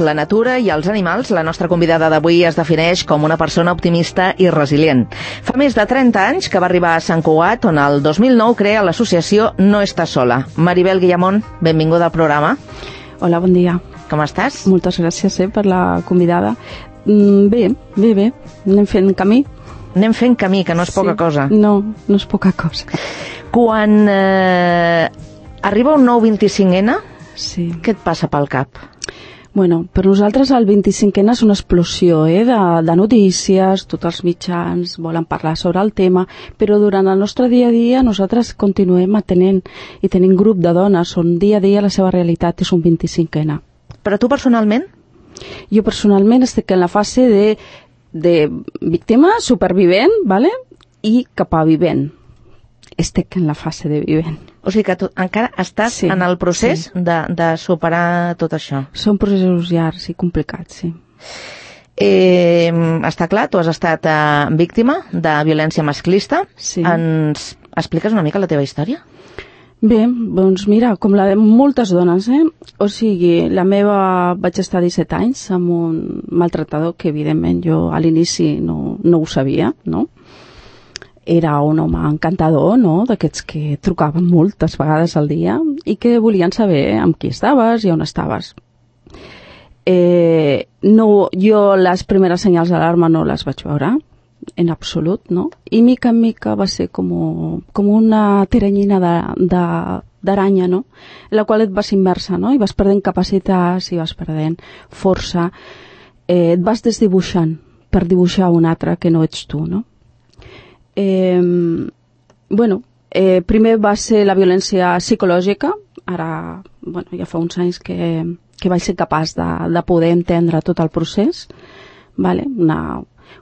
la natura i els animals, la nostra convidada d'avui es defineix com una persona optimista i resilient. Fa més de 30 anys que va arribar a Sant Cugat, on el 2009 crea l'associació No Estàs Sola. Maribel Guillamón, benvinguda al programa. Hola, bon dia. Com estàs? Moltes gràcies per la convidada. Bé. Anem fent camí. Anem fent camí, que no és poca cosa. No és poca cosa. Quan arriba un nou 25N, què et passa pel cap? Bueno, per nosaltres el 25N és una explosió de notícies, tots els mitjans volen parlar sobre el tema, però durant el nostre dia a dia nosaltres continuem atenent i tenim grup de dones on dia a dia la seva realitat és un 25N. Però tu personalment? Jo personalment estic en la fase de víctima, supervivent, ¿vale? I cap a vivent. Estic en la fase de vivent. O sigui que tu encara estàs en el procés de superar tot això. Són processos llargs i complicats, sí. Està clar, tu has estat víctima de violència masclista. Sí. Ens expliques una mica la teva història? Bé, doncs mira, com la de moltes dones, O sigui, la meva vaig estar 17 anys amb un maltratador que, evidentment, jo a l'inici no ho sabia, no? Era un home encantador, no?, d'aquests que trucaven moltes vegades al dia i que volien saber amb qui estaves i on estaves. Jo les primeres senyals d'alarma no les vaig veure, en absolut, no? I mica en mica va ser com una teranyina d'aranya, no?, en la qual et vas immersa, no?, i vas perdent capacitats, i vas perdent força, et vas desdibuixant per dibuixar un altre que no ets tu, no? Primer va ser la violència psicològica, ara, ja fa uns anys que vaig ser capaç de poder entendre tot el procés, vale?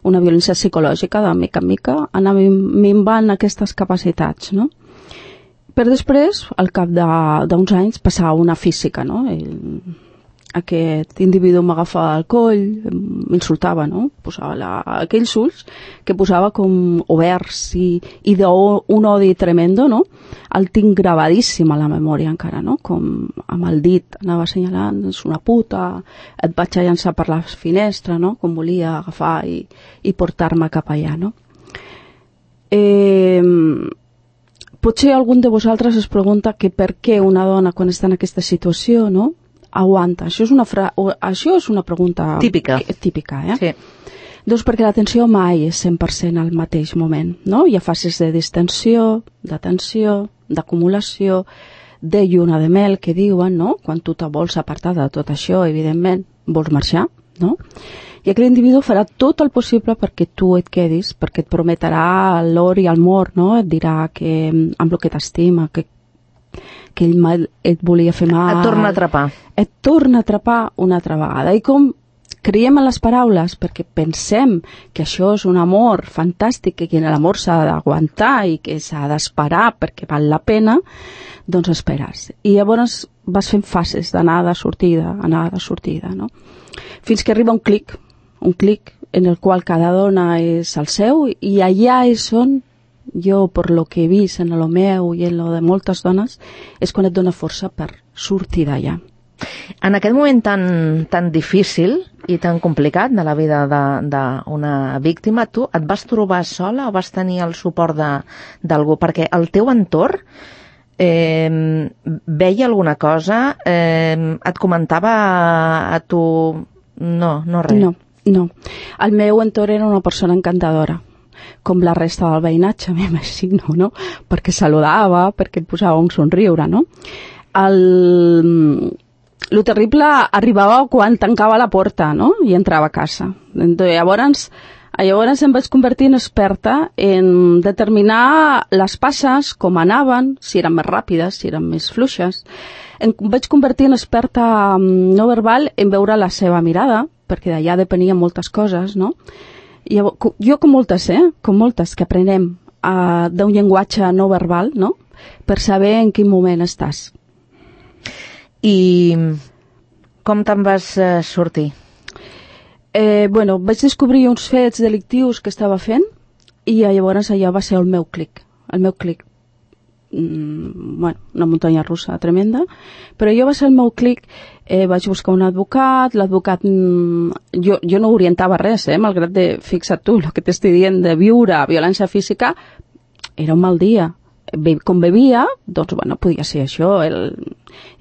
Una violència psicològica, de mica en mica, anar minvant aquestes capacitats, no? Per després, al cap d'uns anys, passar una física, no? Aquest individu m'agafava el coll, m'insultava, no? Posava aquells ulls que posava com oberts i d'un odi tremendo, no? El tinc gravadíssim a la memòria encara, no? Com amb el dit anava assenyalant, és una puta, et vaig a llançar per la finestra, no? Com volia agafar i portar-me cap allà, no? Potser algun de vosaltres es pregunta que per què una dona quan està en aquesta situació, no?, aguanta. Això és una pregunta típica, Sí. Doncs perquè l'atenció mai és 100% al mateix moment, no? Hi ha fases de distensió, de tensió, d'acumulació, de lluna de mel, que diuen, no? Quan tu te vols apartar de tot això, evidentment, vols marxar, no? I aquell individu farà tot el possible perquè tu et quedis, perquè et prometrà l'or i el mor, no? Et dirà que amb el que t'estima, que ell et volia fer mal. Et torna a atrapar. Et torna a atrapar una altra vegada. I com creiem en les paraules, perquè pensem que això és un amor fantàstic, que l'amor s'ha d'aguantar i que s'ha d'esperar perquè val la pena, doncs esperes. I llavors vas fent fases d'anada, sortida, no? Fins que arriba un clic en el qual cada dona és el seu, i allà és on jo, per lo que he vist en lo meu i en lo de moltes dones, és quan et dona força per sortir d'allà. En aquest moment tan difícil i tan complicat de la vida d'una víctima, tu et vas trobar sola o vas tenir el suport d'algú? Perquè el teu entorn veia alguna cosa, et comentava a tu... No, res. No. El meu entorn era una persona encantadora, com la resta del veïnatge, m'imagino, no? Perquè saludava, perquè et posava un somriure, no? Lo terrible arribava quan tancava la porta, no?, i entrava a casa. Llavors em vaig convertir en experta en determinar les passes, com anaven, si eren més ràpides, si eren més fluixes. Em vaig convertir en experta no verbal en veure la seva mirada, perquè d'allà depenien moltes coses, no? Jo com moltes que aprenem d'un llenguatge no verbal, no?, per saber en quin moment estàs. I com te'n vas sortir? Vaig descobrir uns fets delictius que estava fent i llavors allò va ser el meu clic. una muntanya russa tremenda, però jo va ser el meu clic. Vaig buscar un advocat, l'advocat jo no orientava res, malgrat de, fixa't tu, el que t'estic dient de viure violència física, era un mal dia. Com bevia, doncs podia ser això. Ell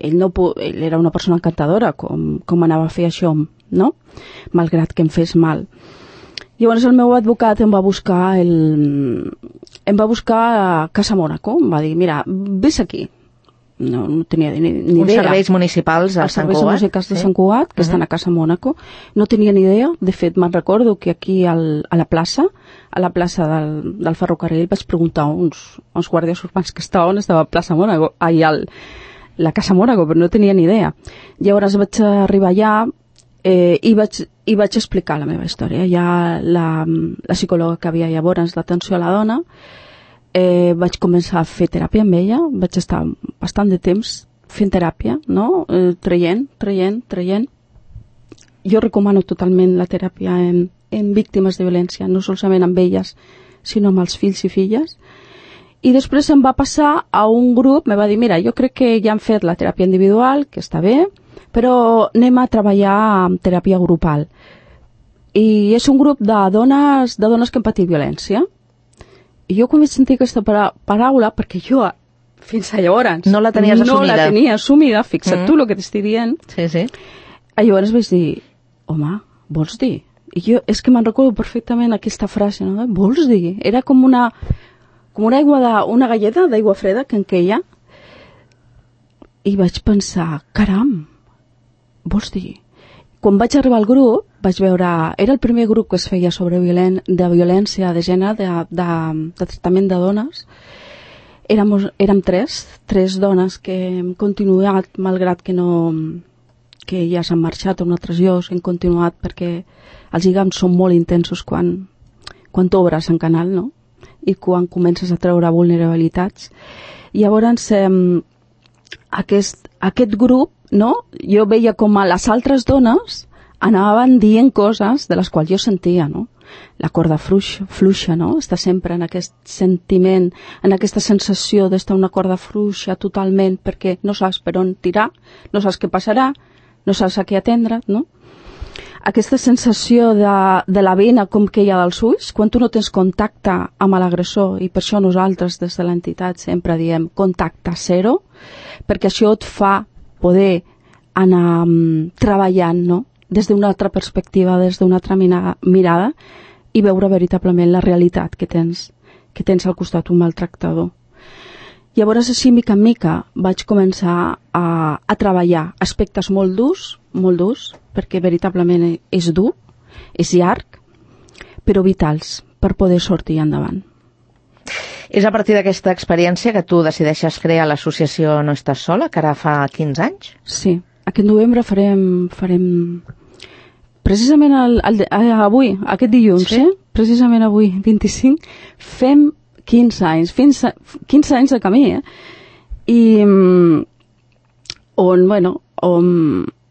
era una persona encantadora, com anava a fer això, no? Malgrat que em fes mal. Llavors el meu advocat em va buscar a Casa Mònaco, em va dir, mira, vés aquí. No tenia ni idea. Uns serveis municipals a Sant Cugat. Els serveis municipals de Sant Cugat, que estan a Casa Mònaco. No tenia ni idea. De fet, me'n recordo que aquí a la plaça del ferrocarril vaig preguntar a uns guàrdies urbans que estaven, estava a Plaça Mònaco, la Casa Mònaco, però no tenia ni idea. Llavors vaig arribar allà i vaig explicar la meva història. Ja la psicòloga que havia llavors d'atenció a la dona, vaig començar a fer teràpia amb ella, vaig estar bastant de temps fent teràpia, no? Traient. Jo recomano totalment la teràpia en víctimes de violència, no solament amb elles, sinó amb els fills i filles. I després em va passar a un grup, me va dir, mira, jo crec que ja han fet la teràpia individual, que està bé, però anem a treballar amb teràpia grupal. I és un grup de dones que han patit violència. I jo quan vaig sentir aquesta paraula, perquè jo fins a llavors no la tenies assumida. No la tenia assumida, fixa't tu el que t'estic dient. Sí. Llavors vaig dir, home, vols dir? I jo és que me'n recordo perfectament aquesta frase, no? Vols dir? Era com una una galleda d'aigua freda que en queia. I vaig pensar, caram, vols dir? Quan vaig arribar al grup, vaig veure... Era el primer grup que es feia sobre de violència de gènere, de tractament de dones. Érem tres dones que hem continuat, malgrat que ja s'han marxat a un altre lloc, hem continuat perquè els lligams són molt intensos quan t'obres en canal, no? I quan comences a treure vulnerabilitats. Llavors, aquest grup, no? Jo veia com a les altres dones anaven dient coses de les quals jo sentia, no? La corda fluixa, no? Està sempre en aquest sentiment, en aquesta sensació d'estar una corda fluixa totalment perquè no saps per on tirar, no saps què passarà, no saps a què atendre, no? Aquesta sensació de la vena com que hi ha dels ulls, quan tu no tens contacte amb l'agressor, i per això nosaltres des de l'entitat sempre diem contacte zero, perquè això et fa poder anar treballant, no? Des d'una altra perspectiva, des d'una altra mirada, i veure veritablement la realitat que tens al costat un maltractador. Llavors, així, mica en mica, vaig començar a treballar aspectes molt durs, perquè veritablement és dur, és llarg, però vitals per poder sortir endavant. És a partir d'aquesta experiència que tu decideixes crear l'associació No Estàs Sola, que ara fa 15 anys? Sí, aquest novembre farem precisament avui, aquest dilluns, sí? Precisament avui, 25, fem 15 anys, 15 anys de camí, I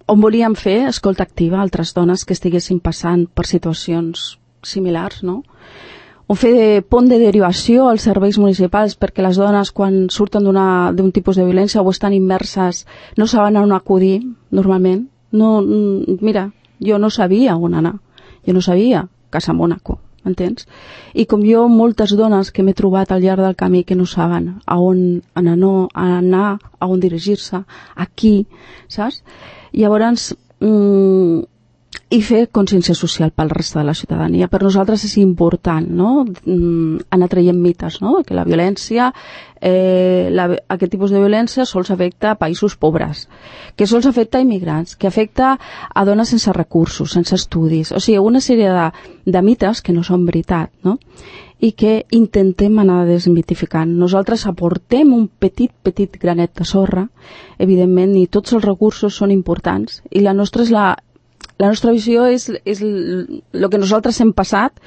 on volíem fer escolta activa a altres dones que estiguessin passant per situacions similars, no? On fer pont de derivació als serveis municipals perquè les dones quan surten d'un tipus de violència o estan immerses no saben on acudir normalment. No, mira, jo no sabia on anar, jo no sabia Casa Mònaco, m'entens? I com jo, moltes dones que m'he trobat al llarg del camí que no saben a on anar, a on dirigir-se, aquí, saps? Llavors, i fer consciència social pel reste de la ciutadania. Per nosaltres és important, no? Anar traient mites, no? Que la violència, aquest tipus de violència sols afecta a països pobres, que sols afecta a immigrants, que afecta a dones sense recursos, sense estudis. O sigui, una sèrie de mites que no són veritat, no? I que intentem anar desmitificant. Nosaltres aportem un petit granet de sorra, evidentment, i tots els recursos són importants, i la nostra visió és el que nosaltres hem passat,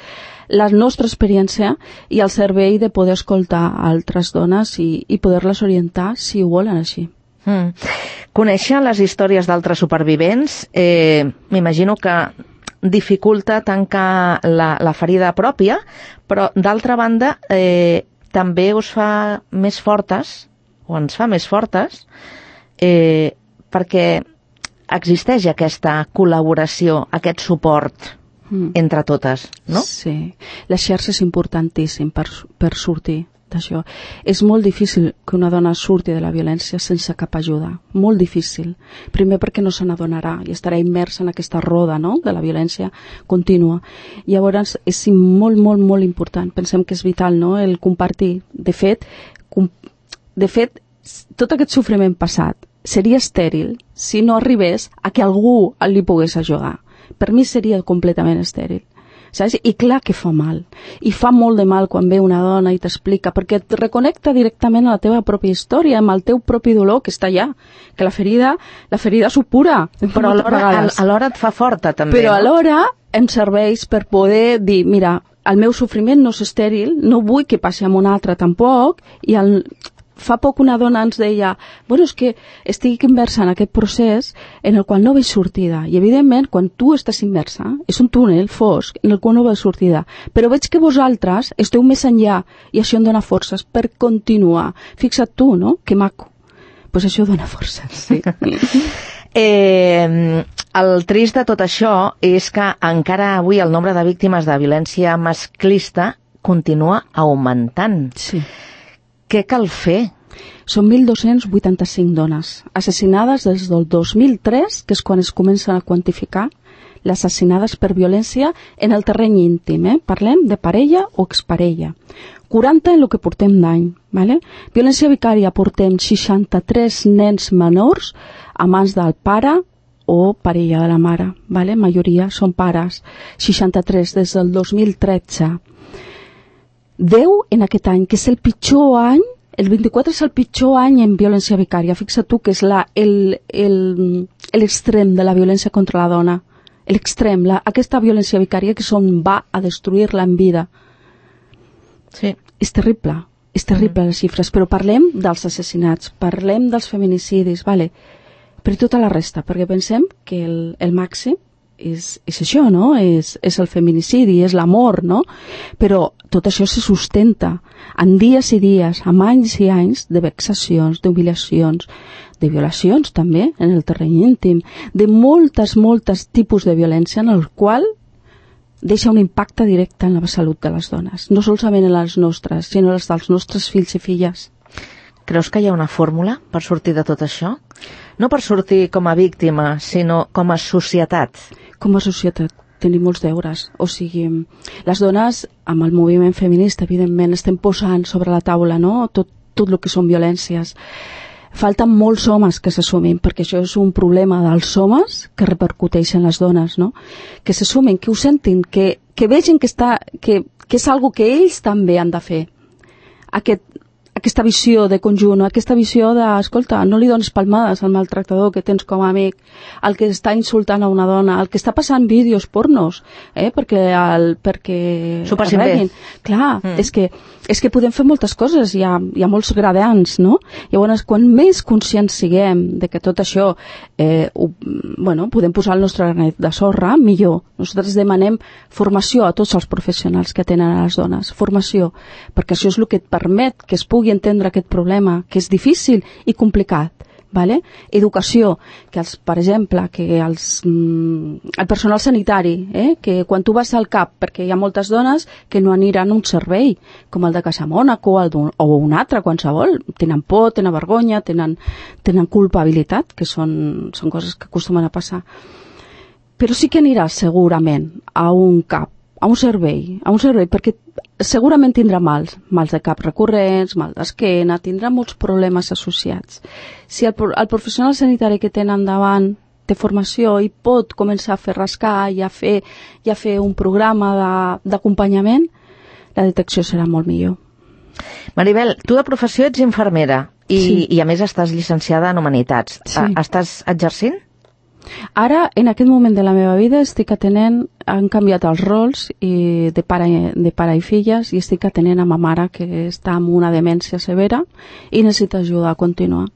la nostra experiència i el servei de poder escoltar altres dones i poder-les orientar si ho volen així. Conèixer les històries d'altres supervivents m'imagino que dificulta tancar la ferida pròpia, però d'altra banda també us fa més fortes, o ens fa més fortes, perquè existeix aquesta col·laboració, aquest suport entre totes, no? Sí, la xarxa és importantíssim per sortir d'això. És molt difícil que una dona surti de la violència sense cap ajuda, molt difícil. Primer perquè no se n'adonarà i estarà immersa en aquesta roda, no?, de la violència contínua. Llavors és molt, molt, molt important. Pensem que és vital, no?, el compartir. De fet, tot aquest sofriment passat seria estèril si no arribés a que algú li pogués ajudar. Per mi seria completament estèril. Saps? I clar que fa mal. I fa molt de mal quan ve una dona i t'explica, perquè et reconnecta directament a la teva pròpia història, amb el teu propi dolor que està allà. Que la ferida supura. Però alhora et fa forta, també. Però alhora em serveix per poder dir, mira, el meu sofriment no és estèril, no vull que passi amb un altre tampoc, i fa poc una dona ens deia, bueno, és que estic immersa en aquest procés en el qual no veig sortida. I evidentment, quan tu estàs immersa, és un túnel fosc en el qual no veig sortida. Però veig que vosaltres esteu més enllà i això em dona forces per continuar. Fixa't tu, no? Que maco. Pues això dona forces, sí. El trist de tot això és que encara avui el nombre de víctimes de violència masclista continua augmentant. Sí. Què cal fer? Són 1.285 dones assassinades des del 2003, que és quan es comencen a quantificar les assassinades per violència en el terreny íntim. Parlem de parella o exparella. 40 en el que portem d'any. Vale? Violència vicària portem 63 nens menors a mans del pare o parella de la mare. Vale? Majoria són pares. 63 des del 2013. 10 en aquest any, que és el pitjor any, el 24 és el pitjor any en violència vicària. Fixa't tu que és l'extrem de la violència contra la dona. L'extrem, aquesta violència vicària que va a destruir-la en vida. Sí. És terrible les xifres, però parlem dels assassinats, parlem dels feminicidis, vale? Per tota la resta, perquè pensem que el màxim és això, no? És el feminicidi, és l'amor, no? Però tot això se sustenta en dies i dies, amb anys i anys de vexacions, d'humiliacions, de violacions també en el terreny íntim, de moltes tipus de violència en el qual deixa un impacte directe en la salut de les dones, no solament en les nostres, sinó les dels nostres fills i filles. Creus que hi ha una fórmula per sortir de tot això? No per sortir com a víctima, sinó com a societat. Com a societat tenim molts deures. O sigui, les dones, amb el moviment feminista, evidentment, estem posant sobre la taula, no?, tot el que són violències. Falten molts homes que s'assumin, perquè això és un problema dels homes que repercuteix en les dones, no? Que s'assumin, que ho sentin, que vegin que és algo que ells també han de fer. Aquesta visió de conjunt, aquesta visió de, escolta, no li dones palmades al maltractador que tens com a amic, el que està insultant a una dona, el que està passant vídeos pornos, perquè s'ho passin bé. Clar, és que podem fer moltes coses, hi ha molts gradients, no? Llavors, quan més conscients siguem de que tot això podem posar el nostre granet de sorra, millor. Nosaltres demanem formació a tots els professionals que tenen a les dones, formació, perquè això és el que et permet que es pugui entendre aquest problema, que és difícil i complicat. Vale? Educació, que per exemple, que el personal sanitari, que quan tu vas al CAP, perquè hi ha moltes dones que no aniran a un servei, com el de Casa Mònaco o un altre, qualsevol, tenen por, tenen vergonya, tenen culpabilitat, que són coses que acostumen a passar. Però sí que aniràs segurament a un CAP, a un servei, perquè segurament tindrà mals de cap recurrents, mal d'esquena, tindrà molts problemes associats. Si el professional sanitari que tenen davant té formació i pot començar a fer rascar i a fer un programa d'acompanyament, la detecció serà molt millor. Maribel, tu de professió ets infermera i a més estàs llicenciada en Humanitats. Sí. Estàs exercint? Ara, en aquest moment de la meva vida, estic atenent, han canviat els rols de pare i filles, i estic atenent a ma mare, que està amb una demència severa i necessita ajuda a continuar.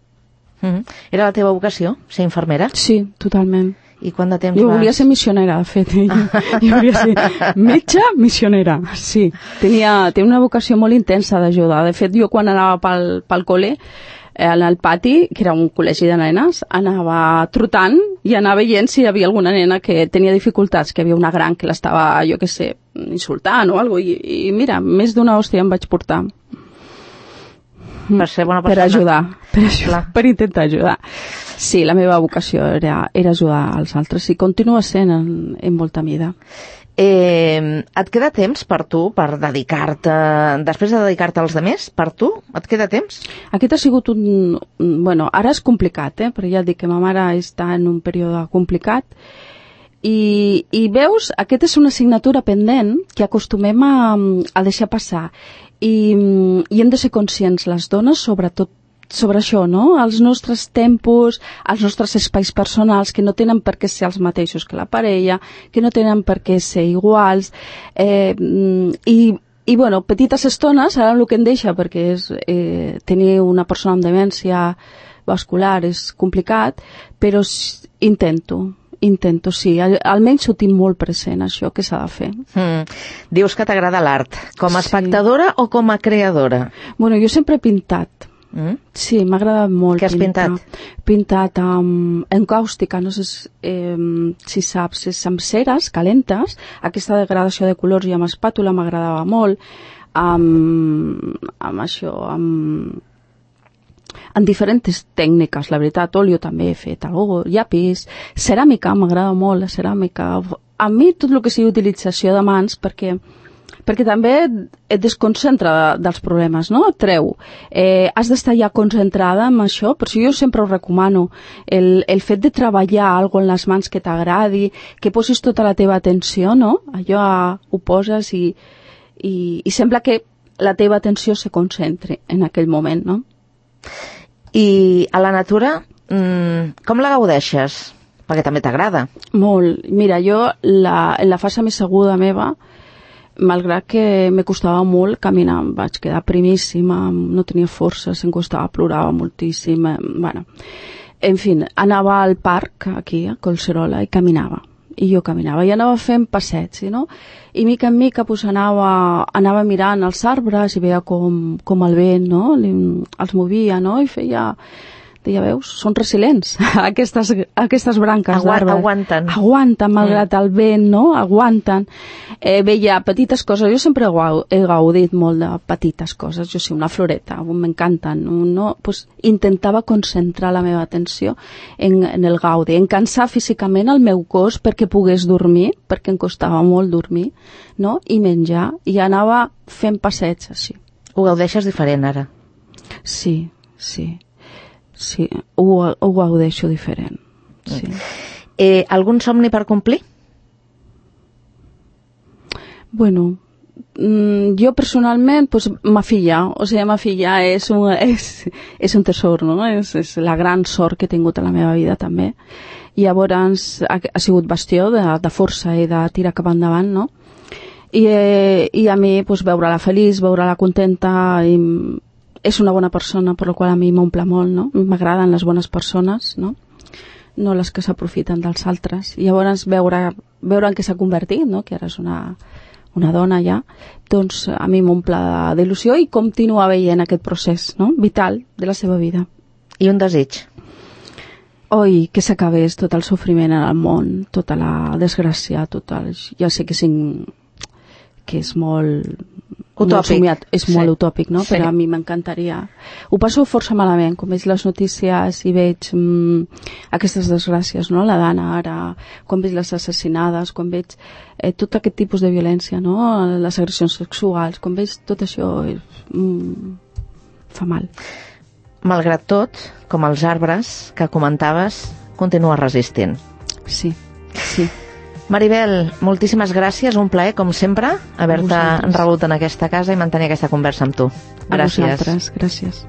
Era la teva vocació, ser infermera? Sí, totalment. I quant de temps Jo volia ser missionera, de fet. Jo volia ser metge missionera, sí. Tenia una vocació molt intensa d'ajudar. De fet, jo quan anava pel col·le, al pati, que era un col·legi de nenes, anava trotant i anava veient si hi havia alguna nena que tenia dificultats, que hi havia una gran que l'estava, jo què sé, insultant o alguna cosa. I mira, més d'una hòstia em vaig portar. Per ser bona persona. Per ajudar, per intentar ajudar. Sí, la meva vocació era ajudar als altres i continua sent en molta mida. Et queda temps per tu, per dedicar-te, després de dedicar-te als demés, per tu? Et queda temps? Aquest ha sigut bueno, ara és complicat, però ja et dic que ma mare està en un període complicat i veus, aquesta és una assignatura pendent que acostumem a deixar passar i hem de ser conscients, les dones, sobretot sobre això, no? Els nostres tempos, els nostres espais personals, que no tenen per què ser els mateixos que la parella, que no tenen per què ser iguals, i bueno, petites estones, ara el que em deixa, perquè és tenir una persona amb demència vascular és complicat, però intento, sí, almenys ho tinc molt present, això que s'ha de fer. Dius que t'agrada l'art, com a espectadora o com a creadora? Bueno, jo sempre he pintat. Sí, m'ha agradat molt. Què has pintat? Pintat en càustica, no sé si saps, és amb ceres calentes, aquesta degradació de colors i amb espàtula m'agradava molt, amb això, en diferents tècniques, la veritat, óleo també he fet, llapis, ceràmica, m'agrada molt la ceràmica. A mi tot el que sigui utilització de mans, perquè també et desconcentra dels problemes, no? Et treu. Has d'estar ja concentrada en això, per això jo sempre ho recomano. El fet de treballar alguna cosa en les mans que t'agradi, que posis tota la teva atenció, no? Allò ho poses i sembla que la teva atenció se concentre en aquell moment, no? I a la natura, com la gaudeixes? Perquè també t'agrada. Molt. Mira, jo en la fase més aguda meva, malgrat que me costava molt caminar, em vaig quedar primíssima, no tenia forces, em costava, plorava moltíssim, bueno. En fi, anava al parc, aquí, a Collserola, i caminava. I jo caminava, i anava fent passets, no? I mica en mica pues, anava mirant els arbres i veia com el vent, no? Els movia, no? I feia... Ja veus, són resilients, aquestes branques d'arbres. Aguanten, malgrat el vent, no? Aguanten. Veia petites coses, jo sempre he gaudit molt de petites coses, jo sé, una floreta, m'encanten, no? Pues, intentava concentrar la meva atenció en el gaudi, en cansar físicament el meu cos perquè pogués dormir, perquè em costava molt dormir, no? I menjar, i anava fent passeigs així. Ho gaudeixes diferent ara? Sí. Sí, ho gaudeixo diferent. Sí. Algun somni per complir? Bueno, jo personalment, pues, ma filla és un tesor, no? És la gran sort que he tingut a la meva vida també. I llavors ha sigut bastió de força i de tirar cap endavant, no? I a mi, pues, veure-la feliç, veure-la contenta, i és una bona persona, per la qual a mi m'omple molt, no? M'agraden les bones persones, no? No les que s'aprofiten dels altres. I llavors veure en què s'ha convertit, no? Que ara és una dona ja, doncs a mi m'omple d'il·lusió i continuar veient aquest procés, no? Vital de la seva vida. I un desig? Oi, que s'acabés tot el sofriment en el món, tota la desgràcia, ja sé que és molt... Utòpic. És molt utòpic, no? Sí. Però a mi m'encantaria. Ho passo força malament, com veig les notícies i veig aquestes desgràcies, no? La Dana ara, quan veig les assassinades, quan veig tot aquest tipus de violència, no? Les agressions sexuals, quan veig tot això, fa mal. Malgrat tot, com els arbres que comentaves, continua resistint. Sí. Maribel, moltíssimes gràcies, un plaer, com sempre, haver-te rebut en aquesta casa i mantenir aquesta conversa amb tu. Gràcies. A vosaltres, gràcies.